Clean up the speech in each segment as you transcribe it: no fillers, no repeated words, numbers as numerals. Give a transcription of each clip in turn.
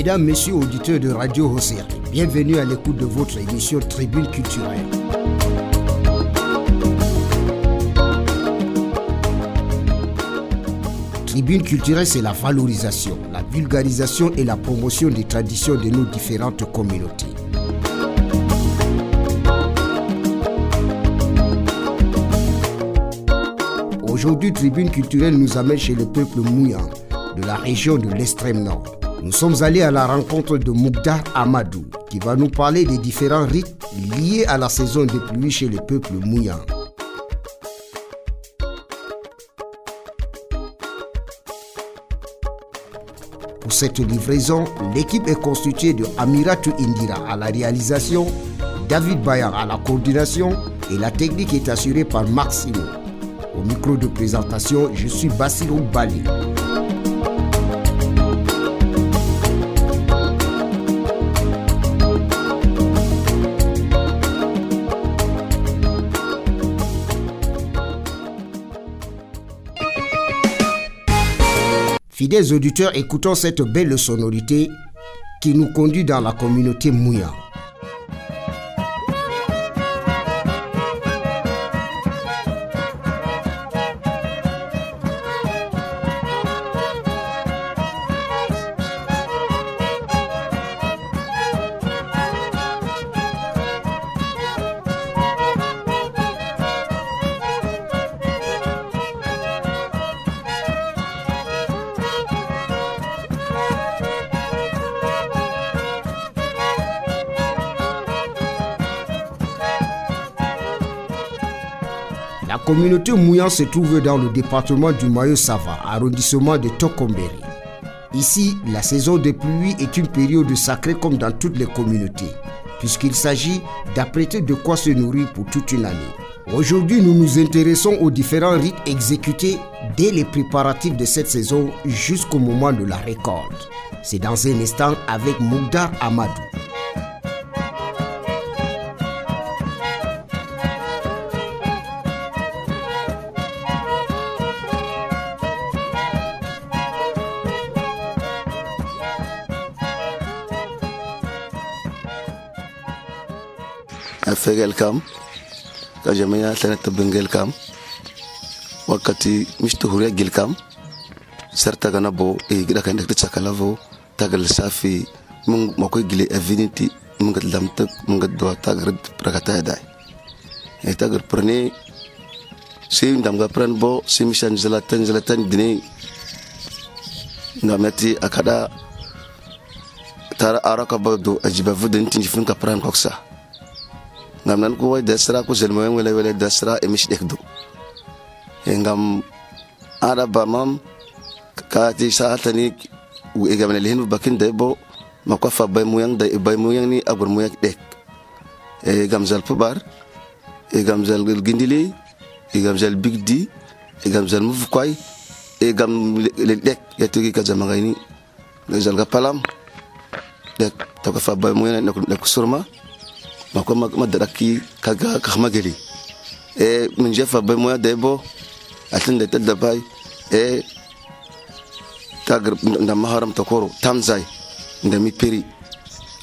Mesdames, Messieurs, auditeurs de Radio Hosséa, bienvenue à l'écoute de votre émission Tribune culturelle. Tribune culturelle, c'est la valorisation, la vulgarisation et la promotion des traditions de nos différentes communautés. Aujourd'hui, Tribune culturelle nous amène chez le peuple Mouyan, de la région de l'extrême nord. Nous sommes allés à la rencontre de Moukdar Amadou, qui va nous parler des différents rites liés à la saison des pluies chez le peuple Mouyan. Pour cette livraison, l'équipe est constituée de Amiratou Indira à la réalisation, David Bayar à la coordination et la technique est assurée par Maximo. Au micro de présentation, je suis Bassirou Bali. Fidèles auditeurs, écoutons cette belle sonorité qui nous conduit dans la communauté Mouya. La communauté Mouyan se trouve dans le département du Mayo-Sava, arrondissement de Tokomberi. Ici, la saison des pluies est une période sacrée comme dans toutes les communautés, puisqu'il s'agit d'apprêter de quoi se nourrir pour toute une année. Aujourd'hui, nous nous intéressons aux différents rites exécutés dès les préparatifs de cette saison jusqu'au moment de la récolte. C'est dans un instant avec Moukdar Amadou. Fegel kam ka jamaya tana tabengel kam wakati mishtu huria gil kam serta gana bo e gida kan dak tsakala vo tagal safi mun makoy gile avinity mun gad lamta mun gad do tagar prakata dai e tagar prene sim dam ga pran bo sim shan zalatan dine ngamati akada tara araka bodo ajiba vudin tinjifun ka pran koksa ngam ko way desra ko zelmo wala desra e mish dekdo ngam ara ba mam ka ti saatani u e gamna lehen bakin debo makofa bay muyang ni agur muyak dek e gamzal pubar e gamzal gindili e gamzal bigdi e gamzal mufkoy e gam le dek yatugi ka zamangani gamzal ga palam dek to ka fa bay muyang ne ko surma mako madaraki kaga kahmageli e min jefa be moya debo atinde tedda bay e tagr ndam maharam tokoro tamzai ndami peri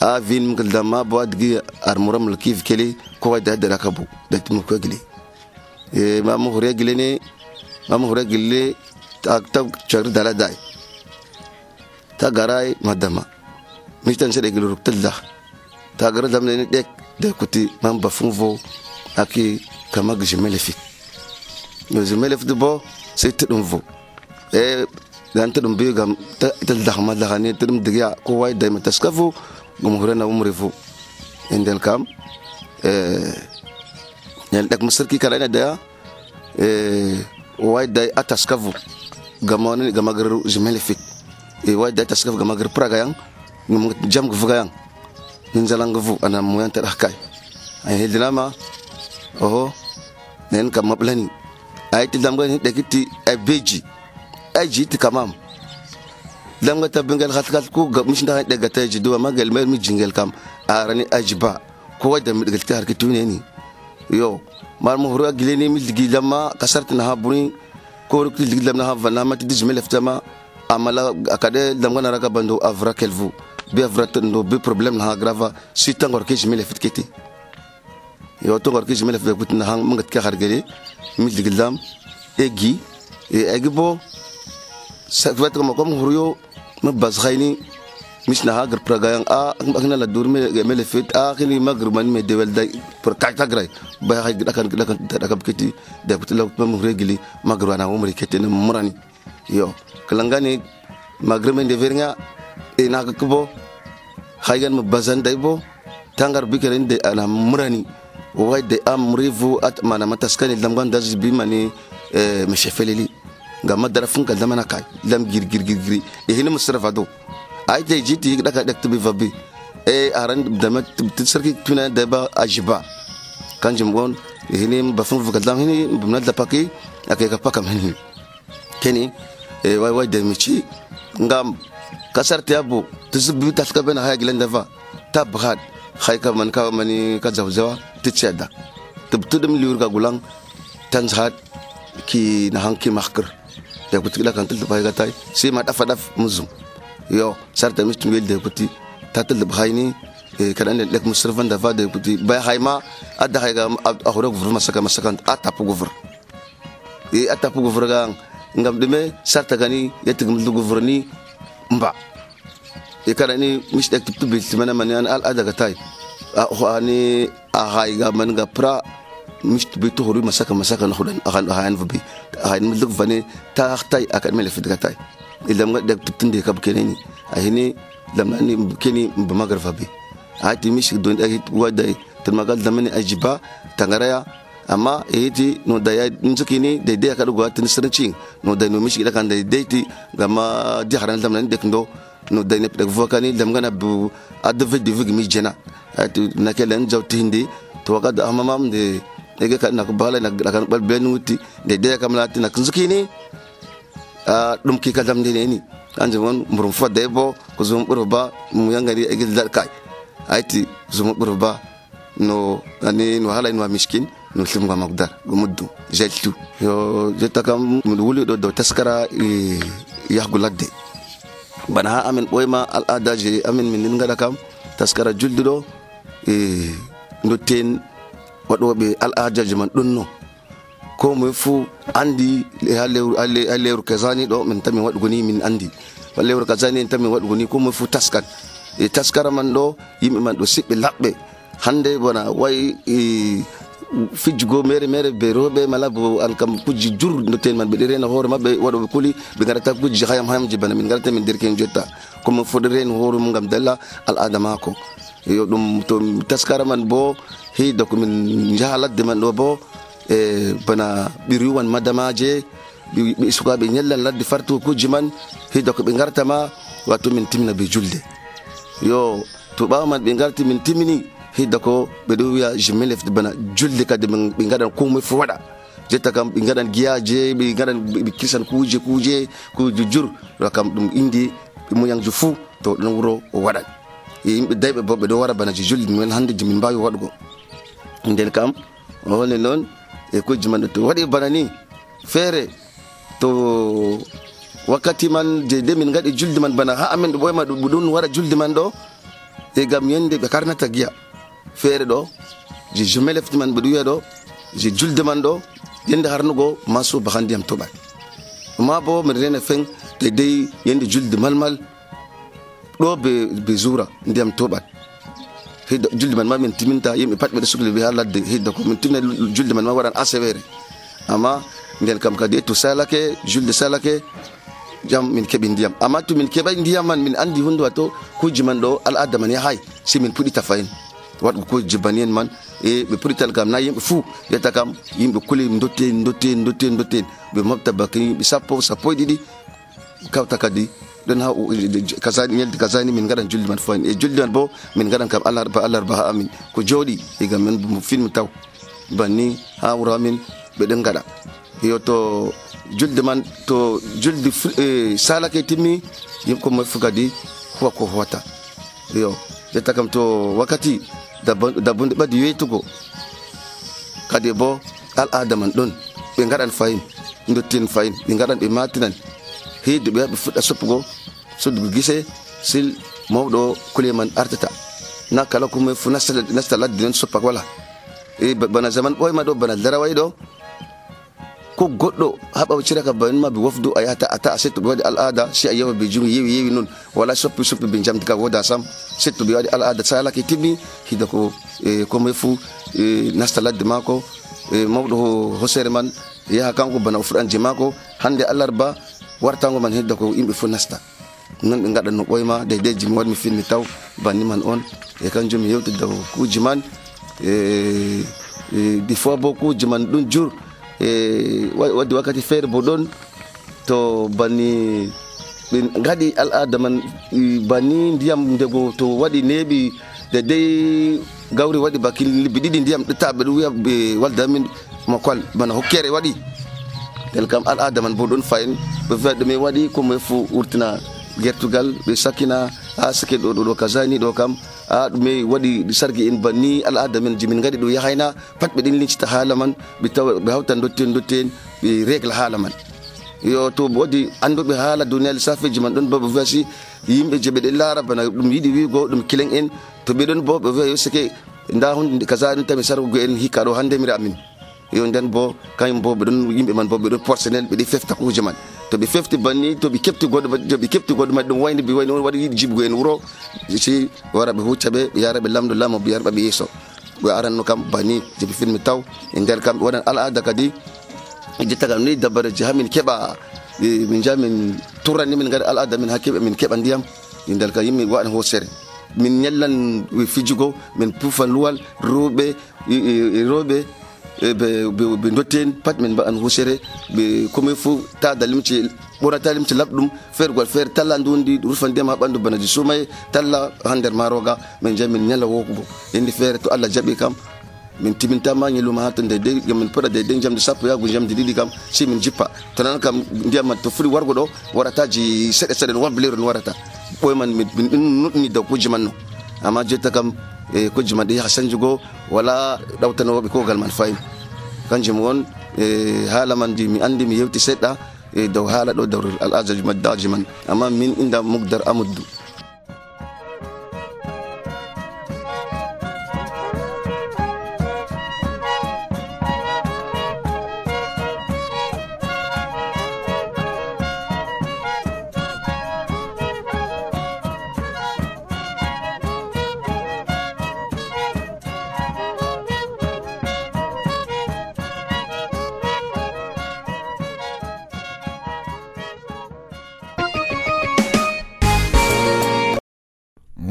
a vin mgal dama bo adgi armuram lakif keli ko wada da rakabu da timu ko gili e mamu hore gile tak char dala dai tagarai madama mistan sede gilu ruktilda tagara damne dek de kuti mamba funvo aki kama gjimelefik gjimelef de bo c'est tudumvo e dan tudum bi gam tel dakhma dakhani tudum diga ko way day mataskafu gum horena umrefu endel kam ñal dak musarki kala da way day ataskafu gamoni gamagaru gjimelefik e way day taskafu gamagar praga yang ngum jam gvuga yang ninzalangavu ana moyan tadakay ay hedinama oho nen kam mablani ay tidamga ni dekiti ay beji ay jiti kamam lamga tabengal khatkat ko gamish nda de gataji do magal mer mi jingel kam arani ajba ko wada mi digal tar kitune ni yo mar mo hura gileni mi digi lama kasartina habuni ko rukti digi lamna havana mati dijmel ftama amala akade damga naraka bando avra kelvu be avrat no be problem na grava si tangor ke jimele fitketi yo tangor ke jimele fitketi na hang mangat ka hargere mi diglam egi bo sakvat ko makom huryo mabaz khayni mish na hagar pragayang akna la durme mele fit khini magrman me dewel day pour kakta gray ba hay dakan kiti de kutla mam regili magrwana umri ketene murani yo kalangani magrmen de vernya na ko haygan mabazan day bo tangar bikeren de ana murani way de amrivu at mana mataskani lamgan daz bi mani meshefelili ngam darafun kal damana kay lam gir hina musrafado ay tay jiti daka dak bi vabi aran damat tsarki tuna daba ajiba kanjum gon hini bafun vukal dam hini bumna da paki akay ka pakam hini keni way de michi ngam kasar tiabu tuzbi taska bena hay gilan dava tabhat khayka man ka mani ka zawzawa tcheda tubtudum liur ka gulang tanzhat ki na hanki makhkar ya kutila kan tilta bay gatay si ma dafa daf muzum yo sarta mistum wel de kuti tatil bayni kadan lek musrafan da va de kuti bay hayma adda hayga ahura guvur masakan atapu guvur atapu guvur ga ngam deme sarta gani yetigum du guvur ni mba kadani misdak tubbil timana man al ada gatay ani hayga man ga pra مش بيتو هوري مساكن نخدن اهان فبي اهان ملك فني تاختاي اكاد ملف دغتاي الا ما دك تندي كاب كنيني اهني لما اني كني بمغرب فبي هاتي مش دون اي وداي تمغال دمني اجبا تنغريا اما ايتي نو داي نزكيني دي اكاد غوات نسرنشين نو داي نو مش كده كان ديتي غما دي حران دمن دك ندو نو داي نبدك فوكاني لمغنا بو ادفي دي فيغ مي جنا هاتي نكلن جوتي هندي توقد امامام دي ege kan nak bala nak kan bal benuti de kam lati nak zukini dum ki kadam de ni anje won murum fodde bo ko zum burba mu yangari ege dal kai aiti zum burba no ani no hala no miskin no sim ga magdar gumuddu jeltu yo jetta kam mu wuli do taskara yahguladde bana amen boyma al adaji amen min ngada kam taskara juldudo ndo ten waɗoɓe al'adaji man ɗonno ko moye fuu andi ha lewru kasani ɗo min tamin waɗugo ni min andi lewru kasani en tamin waɗugo ni ko moye fuu taskat taskara man ɗo yimɓe man ɗo siɓɓe laɓɓe hande bona way fijjugo mere be rewɓe mala bo an kam kujji jur doten man ɓeɗe rena hoore mabɓe waɗoɓe kuli ɓe garata kujji hayamji bana min garata min derken jotta komo foɗe rena hoore mum gam dalla al'ada mako yo ɗum to taskara man bo heyda komin jahaladde man ɗo bo bana ɓiriwan madamaje ɓe sukaɓe ñallan ladde fartu kujji man heyda ko ɓe gartama wato min timina ɓe julde yo to ɓawa man ɓe garti min timini heyda ko ɓeɗo wiya jimelefde bana julde kadi ɓe gaɗan komoye fo waɗa jetta kam ɓe gaɗan guiyaje ɓe gaɗan ɓe kirsan kuje jur ɗo kam ɗum indi moyanjo fou to ɗon wuro o waɗan yimɓe dayɓe bo ɓeɗo wara bana julde min hande min mbawi waɗugo nden kam wonde noon kujji man to waɗi bana ni feere to wakkati man de min gaɗi julde man bana ha amen ɗo ɓoyma ɗum wara julde man ɗo gam yende ɓe karnata giya feere ɗo je jumelefti man ɓeɗo wiya ɗo je julde man ɗo yende harnugo maso baha ndiyam toɓat ma bo min rena fen dey yende julde malmal ɗo be zura ndiyam toɓat hidda julde man ma min timinta yimɓe pat ɓeɗo sukli ɓe ha ladde hidda ko min timina julde man ma waɗan asewere amma nden kam kadi to salake julde salake jam min keɓi ndiyam amma to min keɓay ndiyam man min andi hunde wato kujji man ɗo al'ada man yahay si min puɗita fayin waɗgo kujji banien man ɓe puɗital kam na yimɓe fuu yetta kam yimɓe kuli dotten ɓe mofta bake yimɓe sappo e ɗiɗi kawta kadi ɗon ha kasani ñelde kasani min gaɗan julde man fayin julde man bo min gaɗan kam alarba ha amin ko jooɗi egam min film taw banni ha wuro amin ɓeɗen gaɗa yo to julde man to julde salake timmi yimɓe komoye fu kadi huwa ko howata yo jetta kam to wakkati dabbude ɓaddi weytugo kadi bo al'ada man ɗon ɓe gaɗan fayin dottin fayin ɓe gaɗan ɓe matinan heyde ɓe fuɗɗa soppugo soddugo gise sil mawɗo kuleman artata na kala kuma fu nasta ladde non soppak wala bana zaman ɓoyma ɗo bana daraway ɗo ko goɗɗo haɓa ciraka banin ma ɓe wofdu a yahata ata setto ɓe waɗi al'ada si a yewa ɓe jungi yewi noon wala soppi ɓe jamdi ka woda sam setto ɓe waɗi al'ada salake timmi hida ko komoye fu nasta ladde maako mawɗo hosere man yaha kanko bana o fuɗan je maako hande alarba wartango man hedda ko yimɓe fu nasta non ɓe gaɗa no ɓoyma deydey jimi waɗmi filmi taw banni man on kanjum mi yewti daw kuuji man ɗi fois bo kuuji man ɗum jur waddi wakkati feere bo ɗon to banni ɓe gaɗi al'ada man banni ndiyam ndego to waɗi neeɓi deydey gawri waɗi bakin libbi ɗiɗi ndiyam ɗettaɓe ɗum wiya ɓe waldamin makwal bana hokkere waɗi tel kam al'ada man bo ɗon fayin ɓe wiya ɗume waɗi komoye fu wurtina gertugal ɓe sakkina ha sake ɗo kazani ɗo kam ɗume waɗi sargi en banni al'ada men jimin gaɗi ɗo yahayna pat ɓe ɗin lincita haala man ɓe hawtan dotten ɓe régla haala man yo to waɗi anduɓe haala duniya lissafeji man ɗon bo ɓe wiya si yimɓe je ɓe ɗen laara bana ɗum yiɗi wigo ɗum kilen en to ɓe ɗon bo ɓe wiya yo sake nda hunde kaza ɗum tami sargugo en hikka ɗo handemira amin yo nden bo kañum bo ɓe ɗon yimɓe man bo ɓe ɗon personnel ɓe ɗi fefta kuje man to ɓe fefti banni to ɓe kepti goɗɗo maɗi ɗum wayni ɓe wayni waɗi yiɗi jibugo en wuro si wara ɓe hucca ɓe yara ɓe lamdo lamo ɓe yarɓa ɓe yeeso ɓe aranno kam banni je ɓe filmi taw e nder kam ɓe waɗan al'ada kadi jetta kam ni dabareji hamin keɓa min jaa min turrani min gaɗa al'ada min ha keɓa min keɓa ndiyam e nder kam yimɓe waɗan hosere min ñallan fijugo min pufan luwal rewɓe ɓe dotten pat min mbaɗan husere ɓe komoye fu tada limce ɓorata limce labɗum feergol feere talla ndundi rufa ndiyam ha ɓanndu bana ji sumaye talla ha nder maroga min jahi min ñalla wokugo indi feere to Allah jaɓi kam min timintama ñeluma ha to deydey min poɗa deydey jamdi sappo yago jamdi ɗiɗi kam si min jippa to nan kam ndiyam man to fuɗi wargo ɗo warataji seɗe seɗe no wambilero no warata ɓoye man min nuɗɗini daw kujji man no amma jotta kam kujji man ɗi yaha sañjugo wala ɗawtanowoɓe kogal man fayin kanjum won haala man ji mi andi mi yewti seɗɗa dow haala ɗo dawr al'adaji maddaji man amma min inda Mugdar Amadou.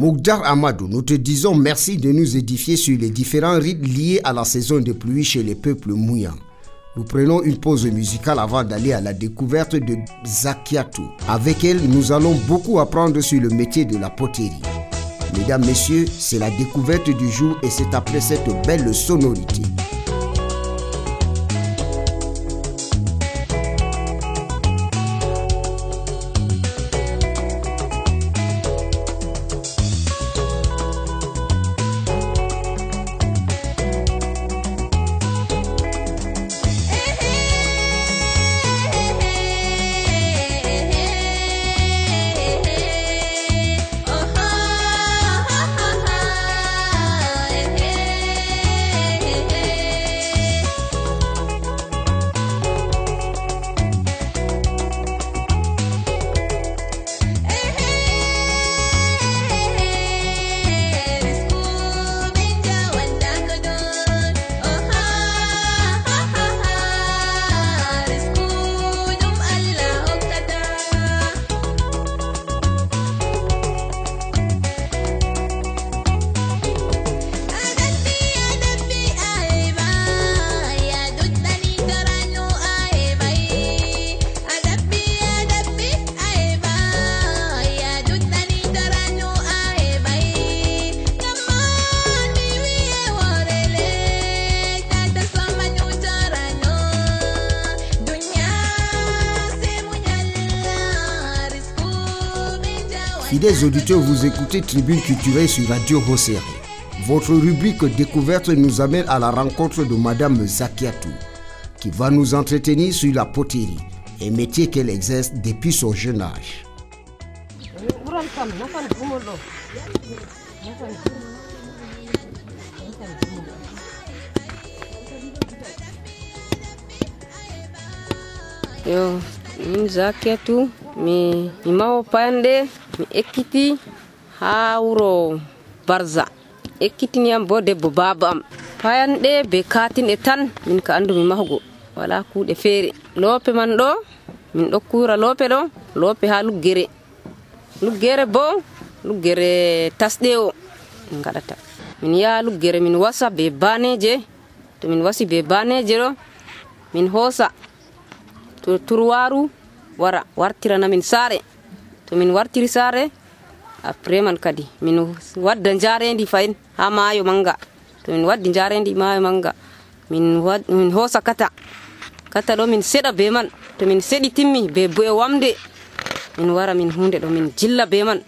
Mugdar Amadou, nous te disons merci de nous édifier sur les différents rites liés à la saison de pluie chez les peuples mouyans. Nous prenons une pause musicale avant d'aller à la découverte de Zakiatou. Avec elle, nous allons beaucoup apprendre sur le métier de la poterie. Mesdames, messieurs, c'est la découverte du jour et c'est après cette belle sonorité. Fidèles auditeurs, vous écoutez Tribune culturelle sur Radio Hosere. Votre rubrique découverte nous amène à la rencontre de Madame Zakiatou, qui va nous entretenir sur la poterie, un métier qu'elle exerce depuis son jeune âge. nafan kam nafan gumol ɗo nafan yo min Zakiatu mi mawo payande mi ekkiti ha wuro Barza ekkitiniyam bo debbo baba am payanɗe be katinɗe tan min ka andu mi mahugo wala kuuɗe feere loope man ɗo min ɗo kura loope ɗo loope ha luggere bo luggere tasɗe o min gaɗata min yaha luggere min wasa be baneje to min wasi be baneje ɗo min hoosa to turwaru wara wartirana min saare to min wartiri saare après man kadi min wadda jarendi fayin ha maayo manga to min waddi jarendi maayo manga min hoosa kata ɗo min seɗa be man to min seɗi timmi be boye wamde min wara min hunde ɗo min jilla be man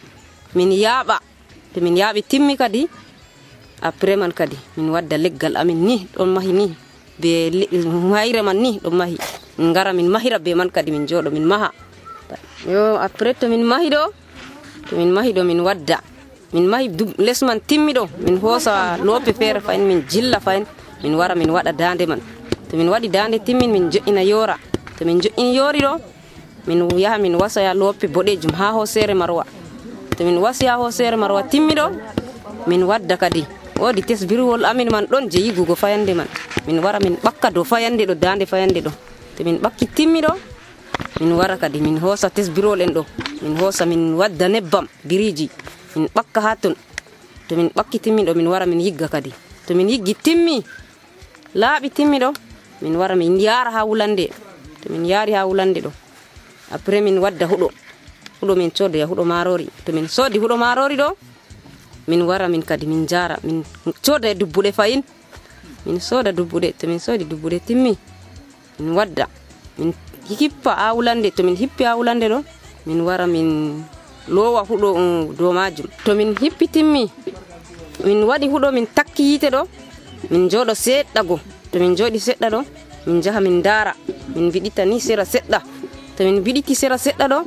min yaaɓa to min yaaɓi timmi kadi après man kadi min wadda leggal amin ni ɗon mahi ni be hayre man ni ɗon mahi min ngara min mahira be man kadi min jooɗo min maha yo après to min mahi ɗo min wadda min mahi les man timmi ɗo min hoosa loope feere fayin min jilla fayin min wara min waɗa dande man to min waɗi dande timmin min jo'ina yoora to min jo'ini yoori ɗo min yaha min wasaya loope boɗejum ha hoosere marwa to min wasi ha hoosere marwa timmi ɗo min wadda kadi woodi tesbirwol amin man ɗon je yigugo fayande man min wara min ɓakka dow fayande ɗo dande fayande ɗo to min ɓakki timmi ɗo min wara kadi min hoosa tesbirwol en ɗo min hoosa min wadda nebbam biriji min ɓakka ha ton to min ɓakki timmi ɗo min wara min yigga kadi to min yiggi timmi laaɓi timmi ɗo min wara min yaara ha wulande to min yaari ha wulande ɗo après min wadda huɗo min codoya huɗo marori to min soodi huɗo marori ɗo min wara min kadi min jara min coda dubbuɗe fayin min soda dubbuɗe to min soodi dubbuɗe timmi min wadda min hippa ha wulande to min hippi ha wulande ɗo min wara min lowa huɗo dow majum to min hippi timmi min waɗi huɗo min takki yite ɗo min jooɗo seɗɗa go to min jooɗi seɗɗa ɗo min jaha min daara min biɗita ni sera seɗɗa to min biɗiti sera seɗɗa ɗo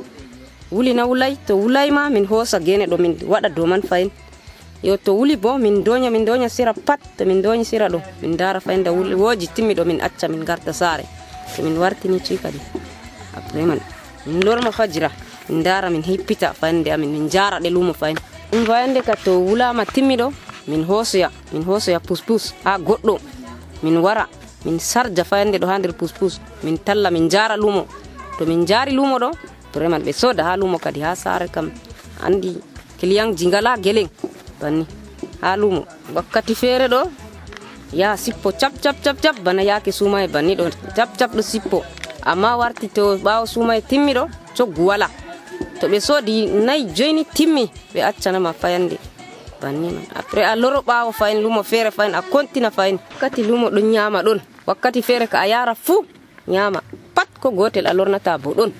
wulina wulay to wulay ma min hoosa gene ɗo min waɗa dow man fayin yo to wuli bo min doña sera pat to min doñi sera ɗo min daara fayin da wooji timmi ɗo min acca min garta saare to min wartini cuy kadi après man min lorma fajira min daara min hippita fayande amin min jara ɗe lumo fayin ɗum fayande ka to wulama timmi ɗo min hoosoya puspus ha goɗɗo min wara min sarja fayande ɗo ha nder puspus min talla min jara lumo to min jari lumo ɗo vraiment ɓe soda ha lumo kadi ha saare kam andi client ji ngala geleng banni ha lumo wakkati feere ɗo ya sippo cap bana yaake suuma e banni ɗo cap ɗo sippo amma warti to ɓaawo suuma e timmi ɗo coggu wala to ɓe soodi 4 joyni timmi ɓe accanama fayande banni man après a loro ɓaawo fayin lumo feere fayin a kontina fayin wakkati lumo ɗon ñaama ɗon wakkati feere ka a yara fuu ñaama pat ko gotel a lornata bo ɗon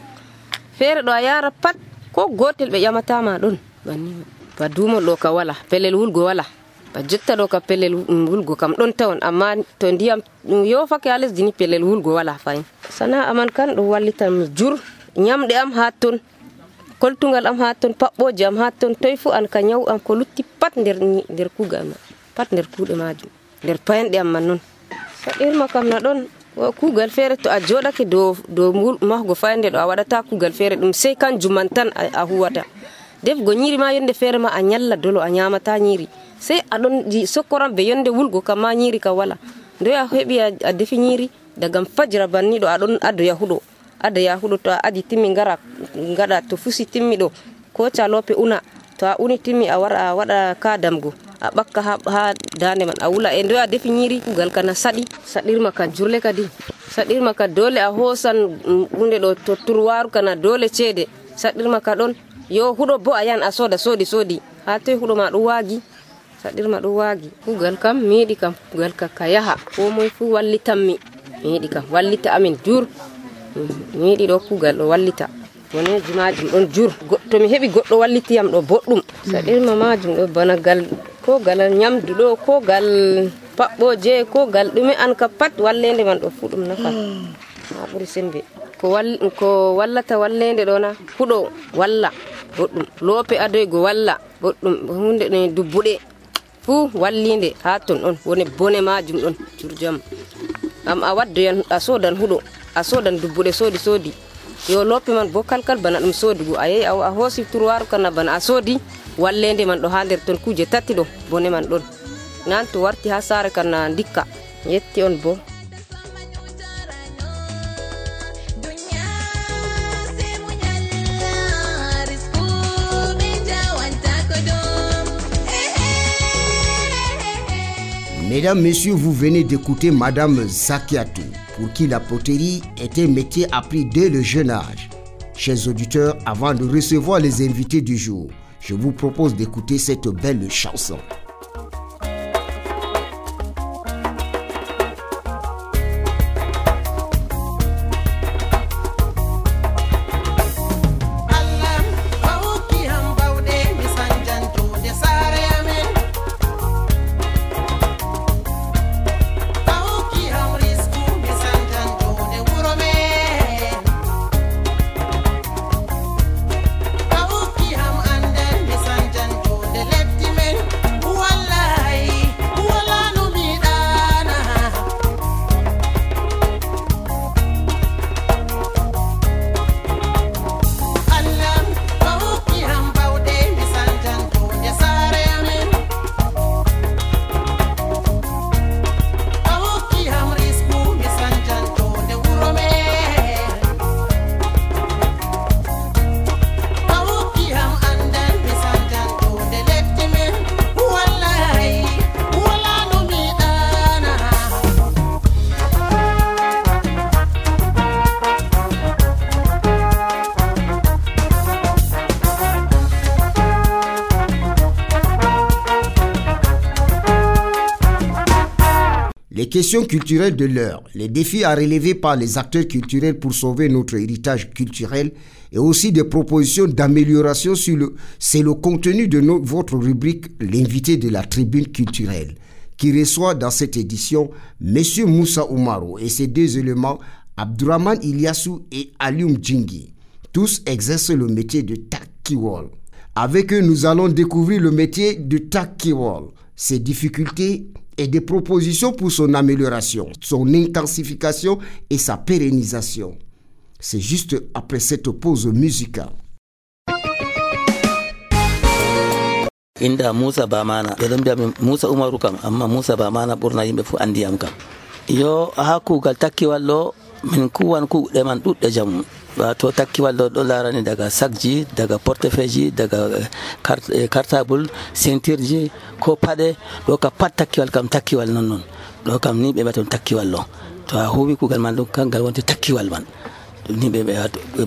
feere ɗo a yara pat ko gotel ɓe ƴamatama ɗon banni man ba dumo ɗo ka wala pellel wulgo wala ba jotta ɗo ka pellel wulgo kam ɗon tawon amma to ndiyam yofake ha lesdi ni pellel wulgo wala fayin sana'a man kan ɗum wallitan jur ñamɗe am ha ton koltugal am ha ton paɓɓoje am ha ton toy fu an ka ñaw am ko lutti pat nder kugal ma pat nder kuuɗe majum nder payanɗe am man noon saɗirma kam na ɗon kugal feere to a joɗake dow mahgo fayande ɗo a waɗata kugal feere ɗum sey kanjum man tan a huwata defgo ñiri ma yonde feere ma a ñalla dolo a ñamata ñiri sey aɗon sokkoran be yonde wulgo kam ma ñiri ka wala ndoy a heɓi a defi ñiri dagam fajira banni ɗo aɗon ada yahuɗo to a adi timmi ngara ngaɗa to fusi timmi ɗo ko calope una to a uni timmi a wara a waɗa kadamgo a ɓakka ha dande man a wula e ndoy a defi ñiri kugal kana saɗirma ka jurle kadi saɗirma ka dole a hoosan hunde ɗo to turwaru kana dole ceede saɗirma ka ɗon yo huɗo bo a yan a soodi ha toy huɗo ma ɗum waagi saɗirma ɗum waagi kugal kam mi yiɗi kam kugal ka yaha ko moye fu wallitanmi mi yiɗi kam wallita amin jur mi yiɗi ɗo kugal ɗo wallita woneji majum ɗon jur to mi heɓi goɗɗo wallitiyam ɗo boɗɗum saɗirma majum ɗo bana ko gal ñamdu ɗo ko gal paɓɓoje ko gal ɗume an ka pat wallede man ɗo fu ɗum nafa ha ɓuri sembe ko wallata wallede ɗo na huɗo walla boɗɗum loope adoygo walla boɗɗum hunde ɗe dubbuɗe fuu wallinde ha ton ɗon woni bone majum ɗon jurjam am a waddoyan a sodan huɗo a sodan dubbuɗe soodi yo lope man bo kalkal bana ɗum sodugo a yehi a hoosi turwaru kana bana a soodi wallende man ɗo ha nder ton kuje tati ɗo bone man ɗon nan to warti ha saare kana dikka yetti on bo. Mesdames, Messieurs, vous venez d'écouter Madame Zakiatou, pour qui la poterie est un métier appris dès le jeune âge. Chers auditeurs, avant de recevoir les invités du jour, je vous propose d'écouter cette belle chanson. Les questions culturelles de l'heure, les défis à relever par les acteurs culturels pour sauver notre héritage culturel et aussi des propositions d'amélioration c'est le contenu de votre rubrique L'invité de la tribune culturelle qui reçoit dans cette édition M. Moussa Oumarou et ses deux éléments Abdourahmane Ilyassou et Alioum Djingui. Tous exercent le métier de Takiwol. Avec eux, nous allons découvrir le métier de Takiwol, ses difficultés et des propositions pour son amélioration, son intensification et sa pérennisation. C'est juste après cette pause musicale. Inda Moussa Bamana, Moussa Oumarou kam, amma Moussa Bamana ɓurna yimɓe fu andi am kam. Yo ha kugal takkiwal ɗo min kuwan kuɗe man ɗuɗɗe jamu. Wato takkiwal ɗo larani daga sakji, daga portefeuille, daga cartable, ceinture ji ko paɗe ɗo ka pat takkiwal kam takkiwal non ɗo kam ni ɓe ɓaton takkiwal ɗo to a huwi kugal man ɗum kangal wonte takkiwal man ni ɓe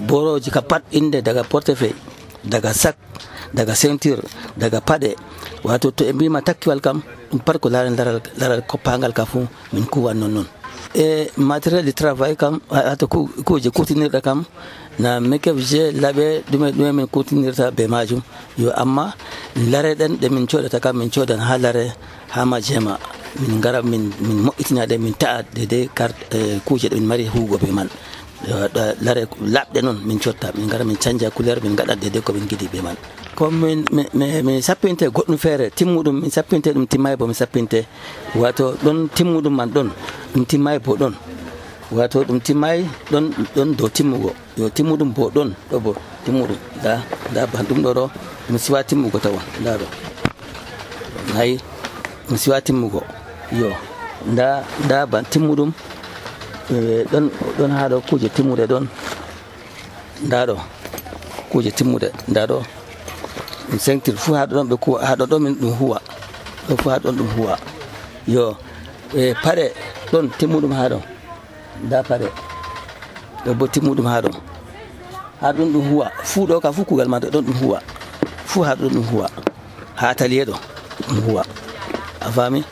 boroji ka pat inde daga portefeuille, daga sac, daga ceinture, daga paɗe. Wato to e mbima takkiwal kam ɗum pat ko larani laral koppangal ka fu min kuwan non e matériel de travail kam ato kuje kutinirɗa kam na mekefje laɓe ɗume min kutinirta be majum yo amma lare ɗen ɗe min coɗata kam min codan ha lare ha majema min gara min moƴƴitinaɗe min ta'a dede kuje ɗe min mari hugo be man lare laɓɗe noon min cotta min gara min canja couleur min gaɗa dede ko min giɗi be man comme min sappinte goɗɗum feere timmuɗum min sappinte ɗum timmay bo min sappinte wato ɗon timmuɗum man ɗon ɗum timmay bo ɗon wato ɗum timmay ɗon dow timmugo yo timmuɗum bo ɗon ɗo bo timmuɗum da ban ɗum ɗo ɗum siwa timmugo tawon nda ɗo nayi ɗum siwa timmugo yo nda ban timmuɗum ɗon ha ɗo kuje timmude ɗon nda ɗo kuje timmude nda ɗo ɗum sentir fu ha ɗon ɓe kuwa ha ɗo min ɗum huwa ɗo fu ha ɗon ɗum huwa yo e paɗe ɗon timmuɗum ha ɗon nda paɗe ɗo bo timmuɗum ha ɗon ɗum huwa fu ɗo ka fu kugal ma ɗon ɗum huwa fu ha ɗon ɗum huwa ha atelier ɗo ɗum huwa a fami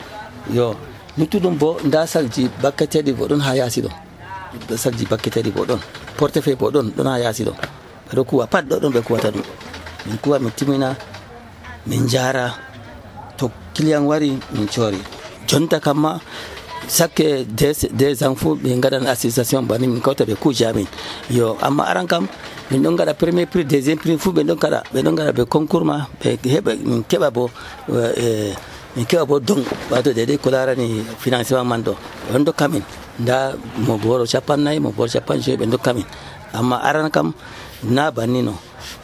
yo luttuɗum bo nda salji bakketeɗi bo ɗon ha yaasi ɗo salji bakketeɗi bo ɗon portefeuille bo ɗon ha yaasi ɗo ɓeɗo kuwa pat ɗo ɗon ɓe kuwata ɗum min kuwa min timina min jara to client wari min coori jonta kamma sakke des ans fu ɓe gaɗan association bani min kawta ɓe kuje amin yo amma aran kam min ɗon gaɗa premier prix deuxiéme prix fuu ɓe ɗon gaɗa ɓe concours ma ɓe heɓa min keɓa bo don wato dede ko larani financement man ɗo ɓe dokka min nda mo boro 50 mo boro 50 ɓe dokka min amma aran kam na bannino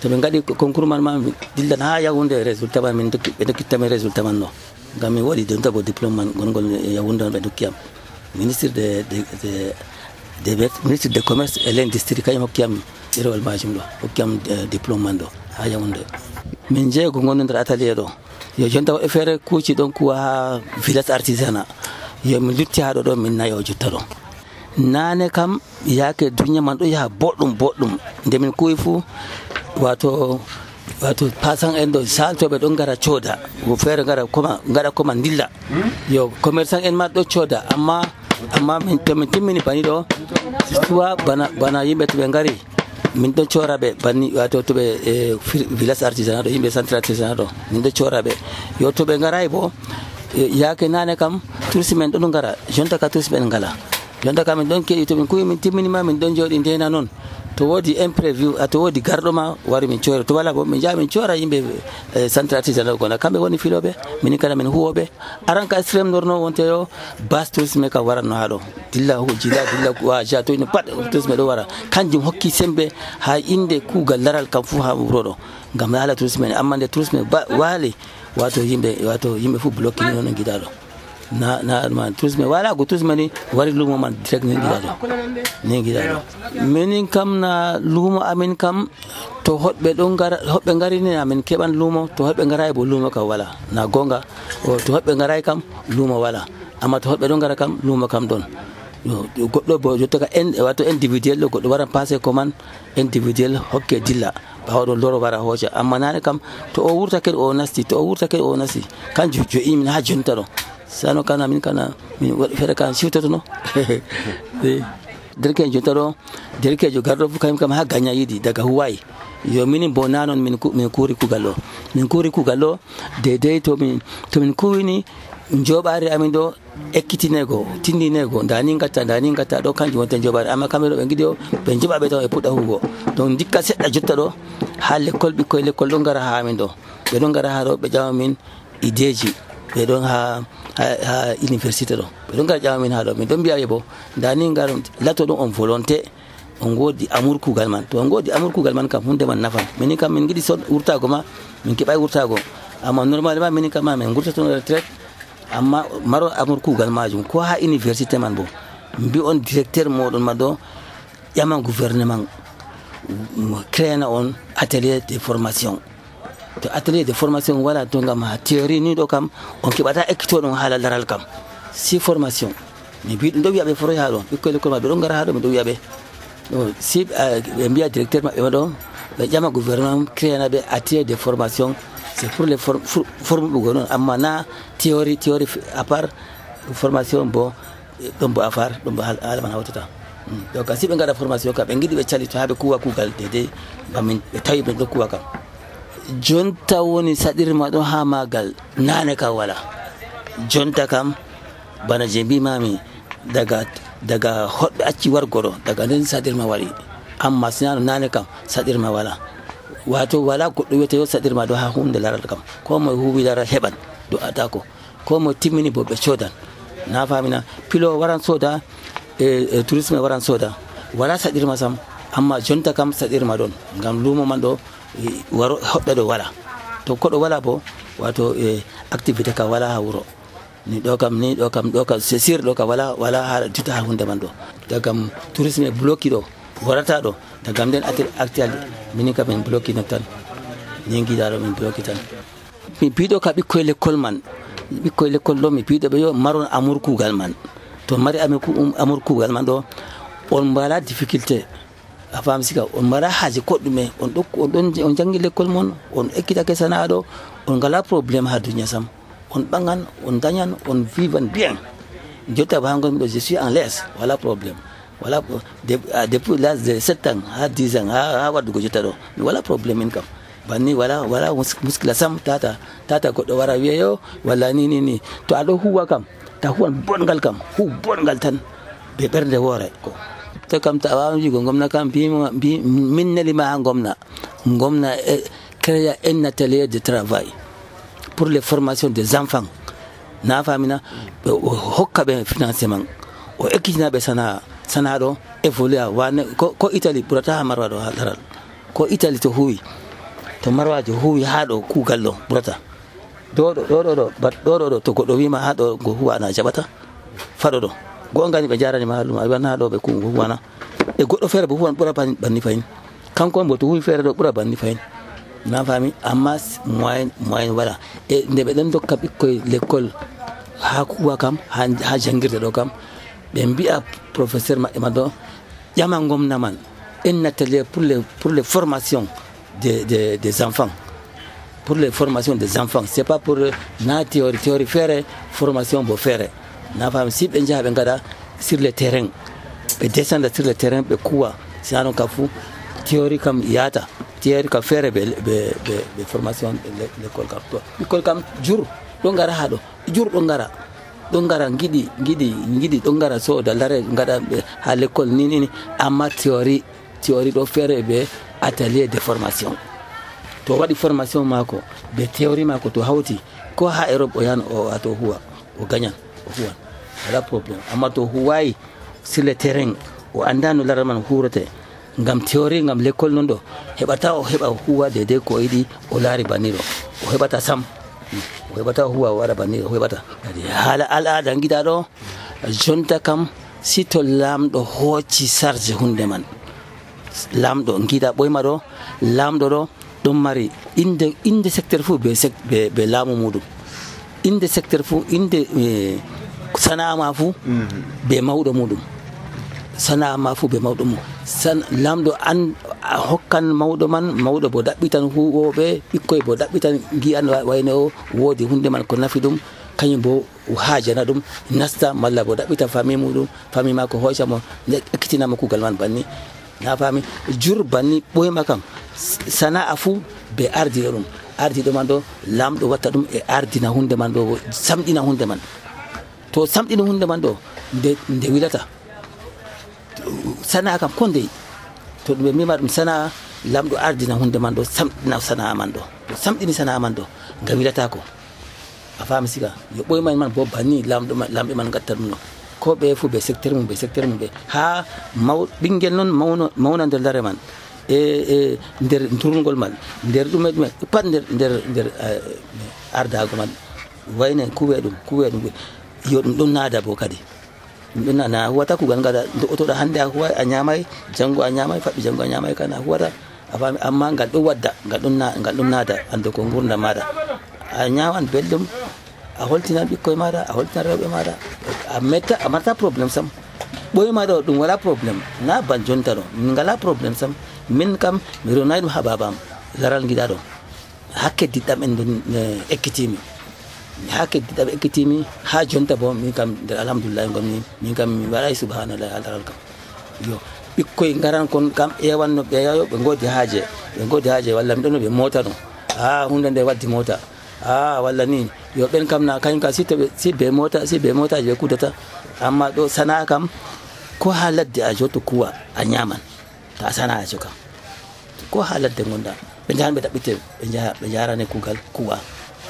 to ɓe gaɗi concours man ma dillan ha yahunde résultat man ɓe dokkittamin résultat man ɗo ngam mi waɗi donta bo diplôme man gongol yahunde on ɓe dokkiyam ministre de commerce et l'industrie kañum hokkiyam ɗerewol majum ɗo hokkiyam diplôme man ɗo ha yahunde min jeego gonno nder atelier ɗo yo jonta woɗɓe feere kuuci ɗon kuwa ha village artisanat yo min lutti ha ɗo ɗo min nayo jotta ɗo nane kam yaake duniya man ɗo yaha boɗɗum nde min kuwi fuu wato pasan en ɗo saltoɓe ɗon gara cooda wo feere gaɗa koma dilla yo commerçant en ma ɗo cooda amma to min timmini bani ɗo soit bana yimɓe to ɓe ngari min ɗon coraɓe banni wato to ɓe village artisanat ɗo yimɓe centre artisanat ɗo min ɗon coraɓe yo to ɓe ngarayi bo yaake nane kam touriste men ɗon ngara jonta ka touriste men ngala jonta ka min ɗon keɗi to min kuwi min timminima min ɗon jooɗi ndena noon to woodi imprévu to woodi garɗo ma wari min coora to wala bo min jaa min coora yimɓe centre artisanat gona kamɓe woni filoɓe minin kada min huwoɓe aran ka extrême norno wonte yo base tourisme kam waratno ha ɗo dilla wa ja toyno pat tourisme ɗo wara kanjum hokki sembe ha inde kuugal laral kam fuu ha wuro ɗo ngam haala tourisme ne amma nde tourisme waali wato yimɓe fuu bloqué noon giɗa ɗo na tourisme wala go tourisme ni wari lumo man direct ni giɗa ɗo minin kam na lumo amin kam to hoɓɓe ngari ni amin keɓan lumo to hoɓɓe ngaray bo lumo kam wala na gonga to hoɓɓe ngaray kam lumo wala amma to hoɓɓe ɗon ngara kam lumo kam ɗon goɗɗo bo jottaka wato individuel ɗo goɗɗo waran passé commande individuel hokke dilla ɓawaɗo loro wara hooca amma nane kam to o wurtake o nasti kanjum joyi min ha jonta ɗo sano kana min waɗi feere kan siwtotono derkejo jonta ɗo derkejo garɗo fu kañum kam ha gagna yiɗi daga huwayi yo minin bo nanon min kuuri kuugal ɗo dedei to min kuwini joɓari amin ɗo ekkitinego tindinego dani gatta ɗo kanjum wonte joɓari amma kamɓe ɗo ɓe giɗi o ɓe joɓaɓe taw e puɗɗa hugo donc dikka seɗɗa jotta ɗo ha ɓikkoye l'école ɗon gara ha amin ɗo ɓe ɗon gara ha ɗo ɓe ƴama min ideji ɓe ɗon ha université ɗo ɓe ɗon gara ƴama min ha ɗo min ɗon mbiyaɓe bo dani gar lato ɗum on volonté on godi amour kugal man to on godi amour kugal man kam hunde man nafan minin kam min giɗi wurtago ma min keɓay wurtago amma normalement minin kam ma min gurtatono retraite amma maro amour kugal majum ko ha université man bo mbi on directeur moɗon ma ɗo ƴaman gouvernement créana on atelier de formation to atelier de formation wala to ngam ha théorie ni ɗo kam on keɓata ekkitoɗon haala laral kam si formation mi mbi ɗum ɗo wiyaɓe foroy ha ɗo ɓikkoye l'école ma ɓe ɗon gara ha ɗo mi ɗo wiyaɓe si ɓe mbiya directeur maɓɓe ma ɗo ɓe ƴama gouvernement créana ɓe atelier de formation c'est pour les formuɓugo noon amma na théorie à part formation bo ɗon bo afar ɗon bo haala man hawtata donc si ɓe gaɗa formation kam ɓe giɗi ɓe calito ha ɓe kuwa kuugal dedei bamin ɓe tawi ɓe ɗo kuwa kam jonta woni saɗirma ɗo ha magal nane kam wala jonta kam bana je mbimami daga hoɗɓe acci wargoɗo daga nden saɗirma waɗi amma sinano nane kam saɗirma wala wato wala goɗɗo wiyete yo saɗirma ɗo ha hunde laral kam ko moye huwi laral heɓan do atako ko moye timmini bo ɓe codan na famina pilo waran soda e tourisme waran soda wala saɗirma sam amma jonta kam saɗirma ɗon ngam lumo man ɗo waro hoɓɓe ɗo wala to koɗo wala bo wato activité ka wala ha wuro ni ɗo kam c'est sûr ɗo ka wala ha juta ha hunde man ɗo dagam tourisme bloqué ɗo warata ɗo dagam nden actuel minin kam min bloqué non tan ni giɗaɗo min bloqué tan mi piɗo ka ɓikkoye l'école man ɓikkoye l'école ɗo mi piɗo ɓe yo maron amour kugal man to mari amour kugal man ɗo on mbala difficulté a faam sika on mbaɗa haaje koɗɗume on janggi l'école mon on ekkitake sana'a ɗo on ngala probléme ha duniya sam on ɓagan on dañan on vivan bien jotta ba hangon ɗo je suis en l'aise wala probléme wala depuis l'âge de 7 ans ha 10 ans ha waddugo jotta ɗo mi wala probléme min kam banni wala muskila sam tata goɗɗo wara wiyeyo walla ni to aɗo huwa kam ta huwan bongal kam hu bongal tan be ɓernde woore ko jotta kam ta wawan wigo gomna kam min nelima ha gomna créa un atelier de travail pour les formations des enfants na famina hokka be financement o ekkitina be sana do évoluer wane ko Italie burata ha marwa do hadaral ko Italie to huwi to marwajo huwi ha do kugal do burata do to goddo wima ha do go huwa na jabata fado do gongani be jarani ma haluma ban ha do be kungo huwana e goddo fere bo huwan bura banni fayin kanko mbo to huwi fere do bura banni fayin na fami amma moyen wala e nde be den dokka bikkoy l'école ha kuwa kam ha jangirde do kam be mbi'a professeur ma do jama gomna man un atelier pour les formations des enfants, pour les formations des enfants. C'est pas pour na théorie faire formation pour faire na fam si ben jabe ngada sur le terrain be descendre sur le terrain be kuwa siano kafu théorie comme yata théorie ka faire be formation l'école kam jur do ngara hado jur do ngara ngidi do ngara so da lare ngada ha l'école ni amma théorie do faire be atelier de formation to wadi formation mako be théorie mako to hauti ko ha Europe o yan o ato huwa o ganyan o huwa wala problem amma to huwai sur le terrain o andano laraman hurate ngam théorie ngam l'école nondo hebata huwa de ko idi o lari baniro o hebata sam o hebata huwa wara baniro o hebata hala al'ada ngida do jonta kam sito lamdo hoci sarje hunde man lamdo ngida boyma do lamdo do dum mari inde secteur fu be lamu mudum inde secteur fu inde sana ma fu be mawdo mudum sana ma fu be mawdo mu san lamdo an hokkan mawdo bo dabbitan huwobe bikkoy bo dabbitan gi an wayno wodi hunde man ko nafidum kanyum bo haajana dum nasta malla bo dabbitan fami mudum fami mako hoysa mo ekkitina mo kugal man banni na fami jur banni boy makam sana afu be ardi do mando lamdo watta dum e ardina hunde man do samdina hunde man to samdina hunde man do de wilata sana kam konde to be mimar dum sana lamdo ardina hunde man do samdina sana man do samdini sana man do gawilata ko a fami siga yo boy man bo banni lambe man gatta dum ko be fu be secteur mum be ha bingel non mawna der dare man e der turngol man der dum pat der ardago man wayne kuwe dum yo dum nada bo kadi dum na huwata ku gangada to da hande huwa anyamai jango anyamai fabi jango anyamai kana huwata afami amma ngal do wadda ngal dum nada ando ko ngurna mada anyawan beldum a holtina bikkoy mada a holtina rewbe mada a mata problem sam boy mada dum wala problem na ban jonta do ngala problem sam min kam mi ronaydo hababam laral ngida do hakke didam en don ekkitimi ha jonta bo min kam alhamdulillah ngomni min kam mi wala subhanallah alal kam yo bikkoy ngaran kon kam ewanno be yayo be ngodi haaje walla mi don be mota no hunde nde waddi mota walla ni yo ben kam na kan ka be mota je kudata amma do sana kam ko haladde a joto kuwa a nyaman ta sana a joka ko haladde gonda be janbe dabbite be jarane kugal kuwa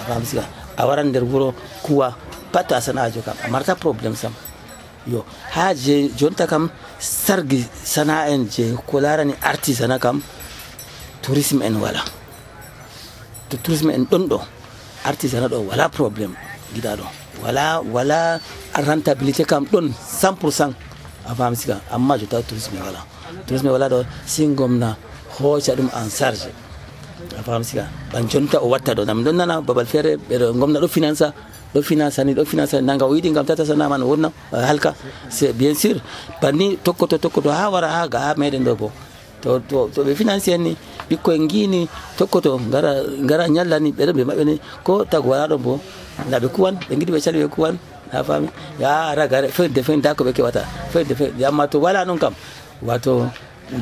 afamsiga a waran der wuro kuwa pata sana a joka marta problem sam yo haje jonta kam sargi sana en je ko larani artisanat kam tourisme en wala to tourisme en dondo artisanat do wala problem gida do wala rentabilité kam don 100% afam siga amma jota tourisme wala do singomna hocha dum en charge afam siga ban jonta o watta do nam don nana babal fere be do gomna do finance nanga widi ngam tata sana man wonna halka c'est bien sûr bani tokkoto ha wara ha ga meden do bo to be financier ni bikko ngini tokkoto ngara nyallani be mabbe ni ko tagwara do bo na be kuwan be ngidi be chali be kuwan ha fami ya raga fe da ko be ke wata fe ya mato wala non kam wato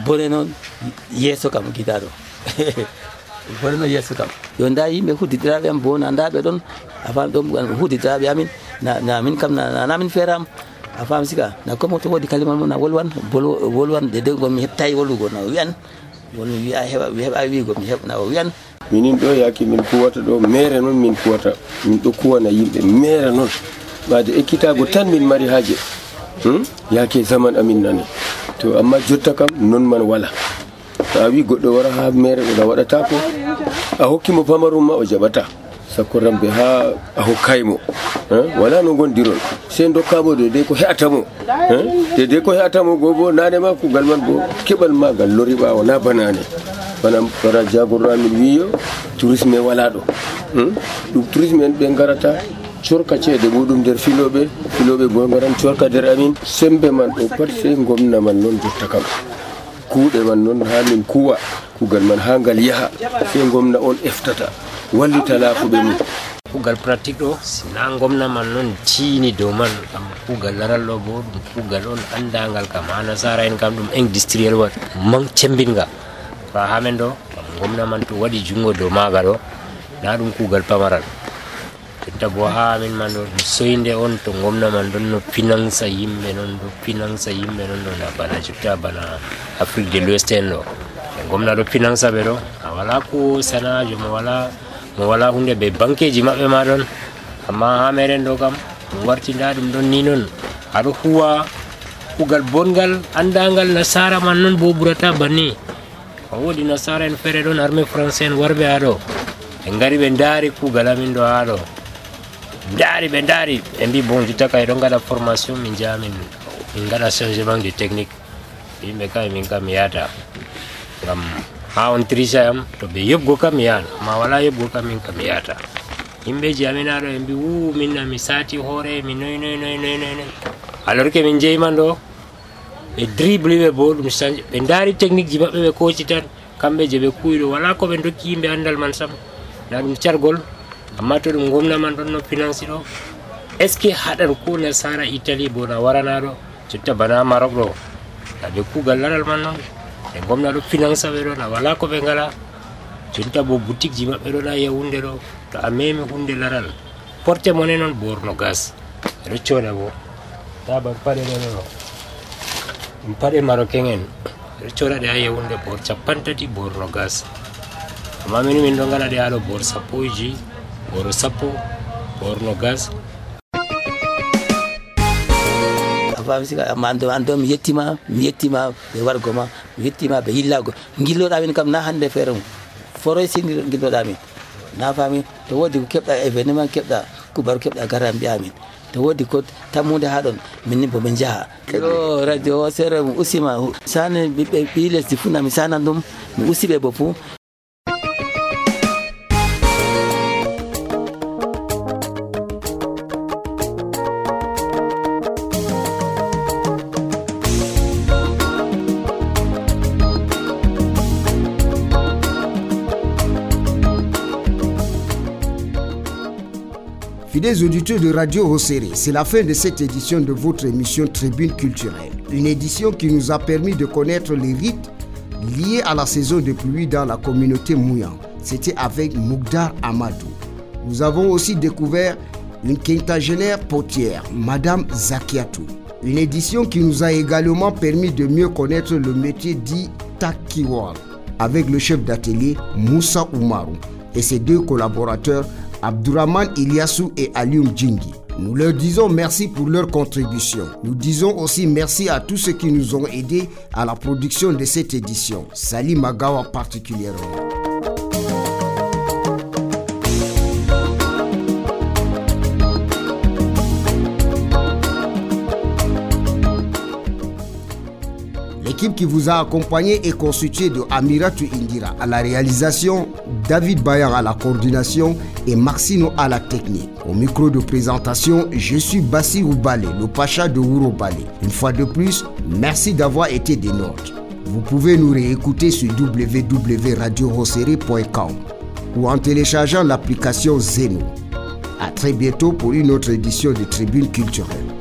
bone non yeso kam gidaro bone yeso kam yo nda yimbe hudidirabe am bona nda be don afan dum hudidirabe amin na min kam na min feram a fam sika na ko mo to wodi kalima mo na wolwan de go mi hettay wolugo na wi'an won wi'a heba wi go mi hebna o wi'an minin do yaki min kuwata do mere non min kuwata min do kuwana yimbe mere non baade ekkitago tan min mari haaje yake zaman amin nani to amma jotta kam non man wala ta wi goddo wara ha mere do wadata ko a hokkimo pamarum ma o jabata sakko rambe ha a hokkaymo wala no gondiron se dokkamo de ko heatamo de ko heatamo gogo nane ma ko galman bo kebal magal lori bawo na banane bana para jagorra min wiyo tourisme wala do dum tourisme en be garata corka ceede mudum der filobe go garan corka der amin sembe man do pat se gomna man non jotta kam kuude man non ha min kuwa kugal man hangal yaha se gomna on eftata wallita laafuɓe mum kugal pratique ɗo sina gomna man noon tiini dow man kam kugal laral ɗo bo ɗum kugal on andagal kam ha nasara en kam ɗum industriel wat man cembinga fa hamen ɗo kam gomna man to waɗi jungo dow maga ɗo na ɗum kugal pamaral jotta bo ha amin man ɗo ɗum soyde on to gomna man ɗon no finance yimɓe noon ɗo finance yimɓe noon ɗo na bana jotta bana Afrique de l'Ouest en ɗo gomna ɗo finance ɓe ɗo a wala ko sanajo mo wala hunde be bankeji mabbe ma don amma ha meren do kam wartinda dum don ni non ado huwa kugal bongal andangal nasara man non bo burata banni wodi nasara en fere don armée français en warbe ado en gari be ndari kugal amin do ado be ndari en bi bon jita kay do ngada formation min jamin min ngada changement de technique yimbe kay min kam yata ngam ha on trisayam to be yebgo kam yan ma wala yebgo kam min kam yata himbe jaminado en bi minna mi sati hore mi noy alors que min jeymando e dribble be bo dum change be ndari technique ji mabbe be coach tan kambe je be kuydo wala ko be dokki yimbe andal man sam na dum ciargol amma to dum gomna man don no finance do est ce que hadan ko na sara italy bo na warana do citta bana marok do be kugal laral man non e gomna do finance be do na wala ko be ngala cinta bo boutique ji mabbe do na yewunde do to ameme hunde laral porte monnaie non borno gas do choda bo ta ba pare no pare marocain en do choda de yewunde bor capantati borno gas amma min do ngala de alo bor sapoji bor sapo borno gas fam sika ando mi yettima be wargoma mi yettima be hillago gilloda min kam na hande ferum foroy sini gilloda min na fami to wodi ko kebda événement kebda kubar kebda garam bi amin to wodi ko tamude hadon min bo ben jaha yo radio sere usima sane be biles difuna mi sanandum mi usibe bo fu. Fidèles auditeurs de Radio Hosséré, c'est la fin de cette édition de votre émission Tribune culturelle. Une édition qui nous a permis de connaître les rites liés à la saison de pluie dans la communauté Mouyan. C'était avec Moukdar Amadou. Nous avons aussi découvert une quinquagénaire potière, Madame Zakiatou. Une édition qui nous a également permis de mieux connaître le métier dit Takiwal avec le chef d'atelier Moussa Oumarou et ses deux collaborateurs Abdourahman Iliassou et Alioum Djingi. Nous leur disons merci pour leur contribution. Nous disons aussi merci à tous ceux qui nous ont aidés à la production de cette édition. Sali Magawa particulièrement. L'équipe qui vous a accompagné est constituée de Amiratou Indira à la réalisation, David Bayan à la coordination et Maxino à la technique. Au micro de présentation, je suis Bassi Oubalé, le pacha de Ouro Balé. Une fois de plus, merci d'avoir été des nôtres. Vous pouvez nous réécouter sur www.radiohosséré.com ou en téléchargeant l'application Zeno. À très bientôt pour une autre édition de Tribune culturelle.